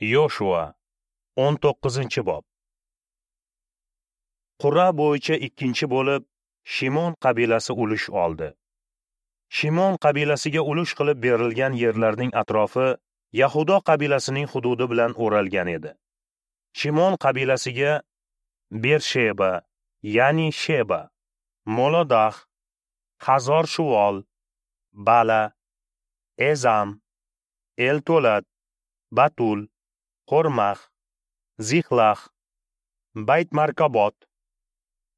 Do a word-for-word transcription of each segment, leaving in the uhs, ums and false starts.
Yoshua o'n to'qqizinchi bob. Qur'a bo'yicha ikkinchi bo'lib Shimon qabilasi ulush oldi. Shimon qabilasiga ulush qilib berilgan yerlarning atrofi Yahudo qabilasining hududi bilan o'ralgan edi. Shimon qabilasiga Bersheba, ya'ni Sheba, Molodah, Hazor Shuvol, Bala, Ezam, Eltolad, Batul, Xormah, Zixlah, Bayt Markabot,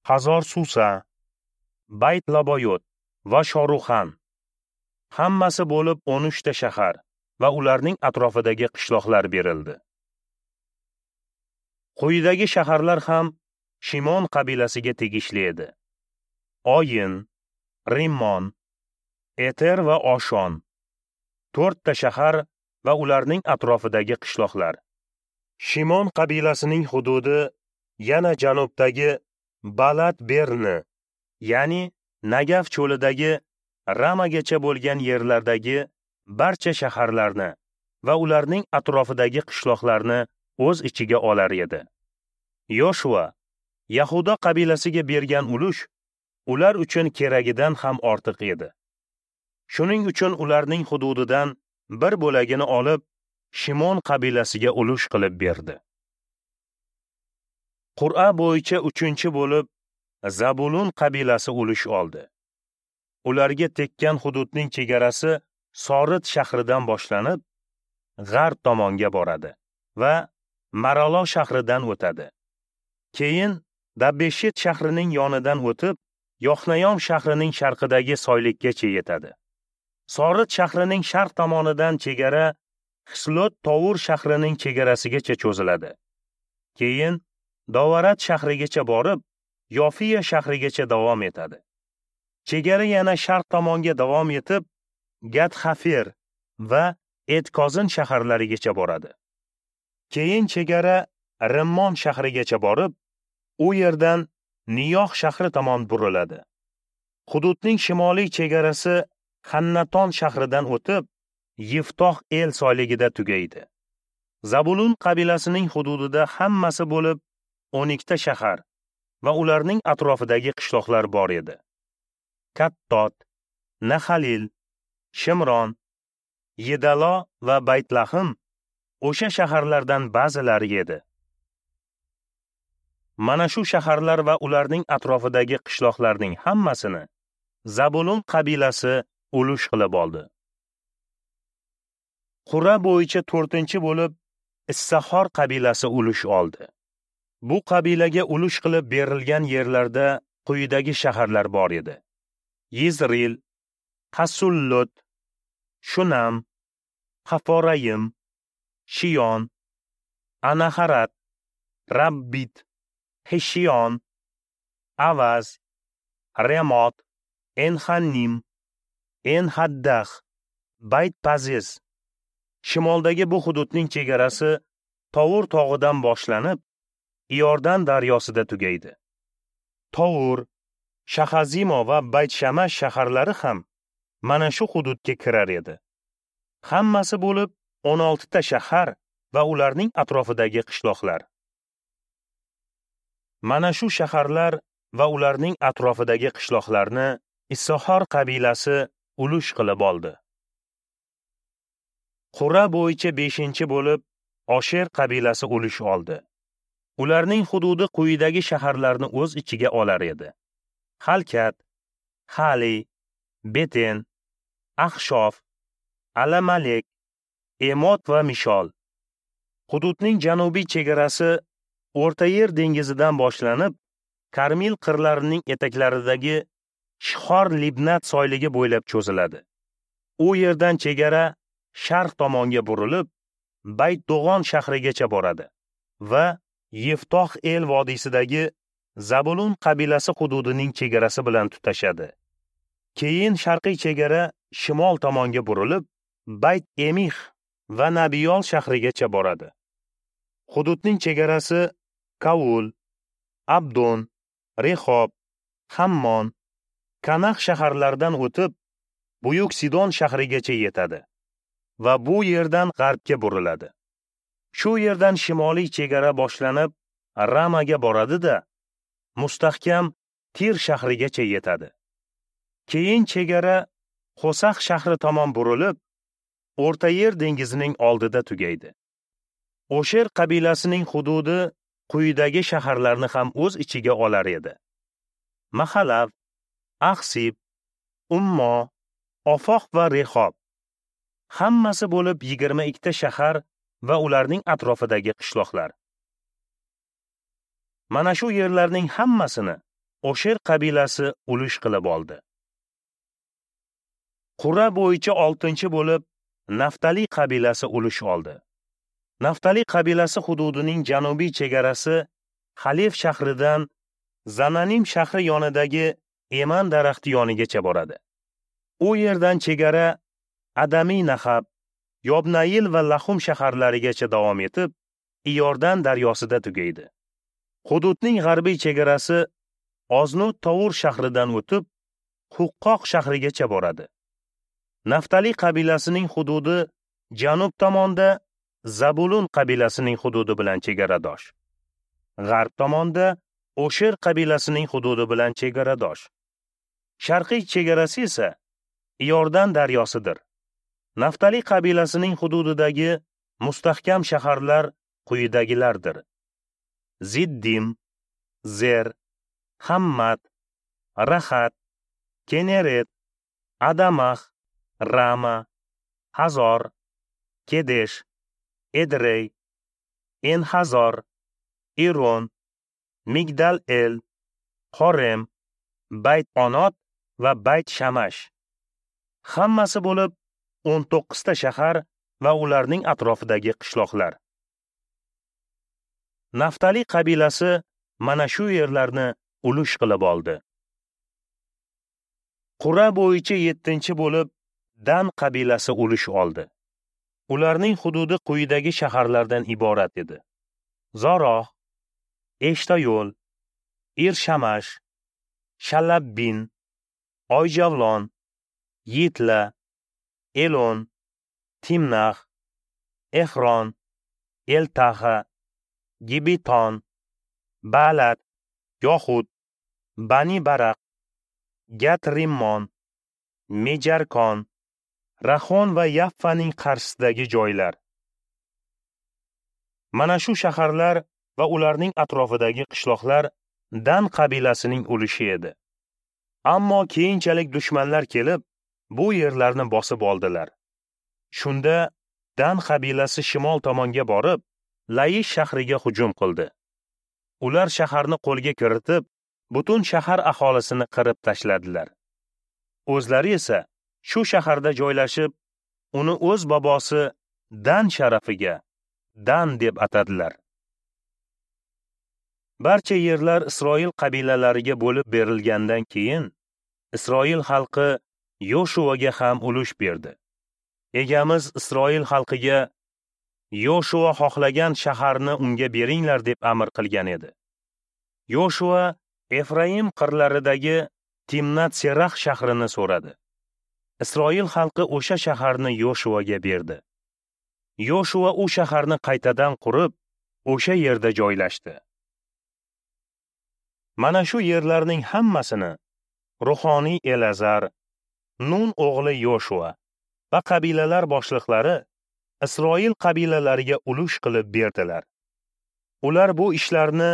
Hazor Susa, Bayt Laboyot va Shoruxan. Hammasi bo'lib o'n uchta shahar va ularning atrofidagi qishloqlar berildi. Quyidagi shaharlar ham Shimon qabilasiga tegishli edi: Oyin, Rimmon, Eter va Oshon. To'rtta shahar va ularning atrofidagi qishloqlar. Shimon qabilasining hududi yana janubdagi Balat Berni, ya'ni Nagav cho'lidagi Ramagacha bo'lgan yerlardagi barcha shaharlarni va ularning atrofidagi qishloqlarni o'z ichiga olar edi. Yoshua Yahudo qabilasiga bergan ulush ular uchun keragidan ham ortiq edi. Shuning uchun ularning hududidan bir bo'lagini olib, Shimon qabilasiga ulush qilib berdi. Qur'a bo'yicha uchinchi bo'lib Zabulun qabilasi ulush oldi. Ularga tekkan hududning chegarasi Sorit shahridan boshlanib, g'arb tomonga boradi va Maralo shahridan o'tadi. Keyin Dabbeshit shahrining yonidan o'tib, Yoxnayom shahrining sharqidagi soylikkacha yetadi. Sorit shahrining sharq tomonidan chegara Xislot Tovur shahrining chegarasigacha cho'ziladi. Keyin Dovarat shahrigacha borib, Yofiya shahrigacha davom etadi. Chegara yana sharq tomonga davom etib, Gat-Hafer va Etkozin shaharlarigacha boradi. Keyin chegara Rimmon shahrigacha borib, u yerdan Niyoh shahri tomon buriladi. Hududning shimoliy chegarasi Hannaton shahridan o'tib, Yiftoh El soyligida tugaydi. Zabulun qabilasining hududida hammasi bo'lib o'n ikkita shahar va ularning atrofidagi qishloqlar bor edi. Kattot, Nahalil, Shimron, Yedalo va Baytlahim o'sha shaharlardan ba'zilari edi. Mana shu shaharlar va ularning atrofidagi qishloqlarning hammasini Zabulun qabilasi ulush qilib oldi. Qur'a bo'yicha to'rtinchi bo'lib Issahor qabilasi ulush oldi. Bu qabilaga ulush qilib berilgan yerlarda quyidagi shaharlar bor edi: Yizril, Hasullot, Shunam, Haforayim, Shiyon, Anaharat, Rabbit, Heshiyon, Avaz, Remot, Enhanim, Enhaddah, Bayt-Paziz. Shimoldagi bu hududning chegarasi Tovur tog'idan boshlanib, Iordan daryosida tugaydi. Tovur, Shahazimo va Bayt-Shamash shaharlari ham mana shu hududga kirar edi. Hammasi bo'lib o'n oltita shahar va ularning atrofidagi qishloqlar. Mana shu shaharlar va ularning atrofidagi qishloqlarni Issahor qabilasi ulush qilib oldi. Qur'a bo'yicha beshinchi bo'lib Osher qabilasi ulush oldi. Ularning hududi quyidagi shaharlarni o'z ichiga olar edi: Halkat, Hali, Beten, Axshof, Alamalek, Emot va Mishol. Hududning janubiy chegarasi O'rta Yer dengizidan boshlanib, Karmil qirlarining etaklaridagi Shihor Libnat soyligi bo'ylab cho'ziladi. U yerdan chegara sharq tomonga burilib, Bayt-Do'g'on shahrigacha boradi va Yiftoh El vodiysidagi Zabulun qabilasi hududining chegarasi bilan tutashadi. Keyin sharqiy chegara shimol tomonga burilib, Bayt-Emix va Nabiyol shahrigacha boradi. Hududning chegarasi Kavul, Abdon, Rehob, Hammon, Kanax shaharlaridan o'tib, Buyuk Sidon shahrigacha yetadi va bu yerdan g'arbga buriladi. Shu yerdan shimoliy chegara boshlanib, Ramaga boradi-da, mustahkam Tir shahrigacha yetadi. Keyin chegara Xosax shahri tomon burilib, O'rta Yer dengizining oldida tugaydi. Osher qabilasining hududi quyidagi shaharlarni ham o'z ichiga olar edi: Mahalav, Axsib, Ummo, Ofoq va Rehob. Hammasi bo'lib yigirma ikkita shahar va ularning atrofidagi qishloqlar. Mana shu yerlarning hammasini Osher qabilasi ulush qilib oldi. Qur'a bo'yicha oltinchi bo'lib Naftali qabilasi ulush oldi. Naftali qabilasi hududining janubiy chegarasi Xalef shahridan Zananim shahri yonidagi Eman daraxti yonigacha boradi. U yerdan chegara Adamiy Nahab, Yobnail va Lahum shaharlarigacha davom etib, Iordan daryosida tugaydi. Hududning g'arbiy chegarasi Oznut Tovur shahridan o'tib, Huqqoq shahrigacha boradi. Naftali qabilasining hududi janub tomonda Zabulun qabilasining hududi bilan chegaradosh. G'arb tomonda Osher qabilasining hududi bilan chegaradosh. Sharqiy chegarasi esa Iordan daryosidir. Naftali qabilasining hududidagi mustahkam shaharlar quyidagilardir: Ziddim, Zer, Hammat, Rahat, Keneret, Adamah, Rama, Hazor, Kedesh, Edrey, En-Hazor, Iron, Migdal-El, Horem, Bayt-Onot va Bayt-Shamash. Hammasi bo'lib o'n to'qqizta shahar va ularning atrofidagi qishloqlar. Naftali qabilasi mana shu yerlarni ulush qilib oldi. Qur'a bo'yicha yettinchi bo'lib Dan qabilasi ulush oldi. Ularning hududi quyidagi shaharlardan iborat edi: Zoroh, Eshtayo'l, Irshamash, Shalabbin, Oyjavlon, Yitla, Elon, Timnax, Ehron, Eltaha, Gibiton, Balat, Yohud, Bani Baraq, Gat-Rimmon, Mejarkon, Rahon va Yaffaning qarshisidagi joylar. Mana shu shaharlar va ularning atrofidagi qishloqlar Dan qabilasining ulushi edi. Ammo keyinchalik dushmanlar kelib, bu yerlarni bosib oldilar. Shunda Dan qabilasi shimol tomonga borib, Layish shahriga hujum qildi. Ular shaharni qo'lga kiritib, butun shahar aholisini qirib tashladilar. O'zlari esa shu shaharda joylashib, uni o'z bobosi Dan sharafiga Dan deb atadilar. Barcha yerlar Isroil qabilalariga bo'lib berilgandan keyin Isroil xalqi Yoshuaga ham ulush berdi. Egamiz Isroil xalqiga Yoshua xohlagan shaharni unga beringlar deb amr qilgan edi. Yoshua Efraim qirlaridagi Timnat-Serax shahrini so'radi. Isroil xalqi o'sha shaharni Yoshuaga berdi. Yoshua u shaharni qaytadan qurib, o'sha yerda joylashdi. Mana shu yerlarning hammasini ruhoniy Elazar, Nun o'g'li Yoshua va qabilalar boshliqlari Isroil qabilalariga ulush qilib berdilar. Ular bu ishlarni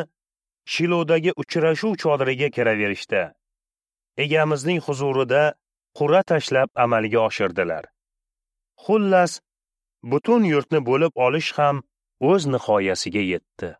Shilodagi uchrashuv chodiriga kiraverishda Egamizning huzurida qur'a tashlab amalga oshirdilar. Xullas, butun yurtni bo'lib olish ham o'z nihoyasiga yetdi.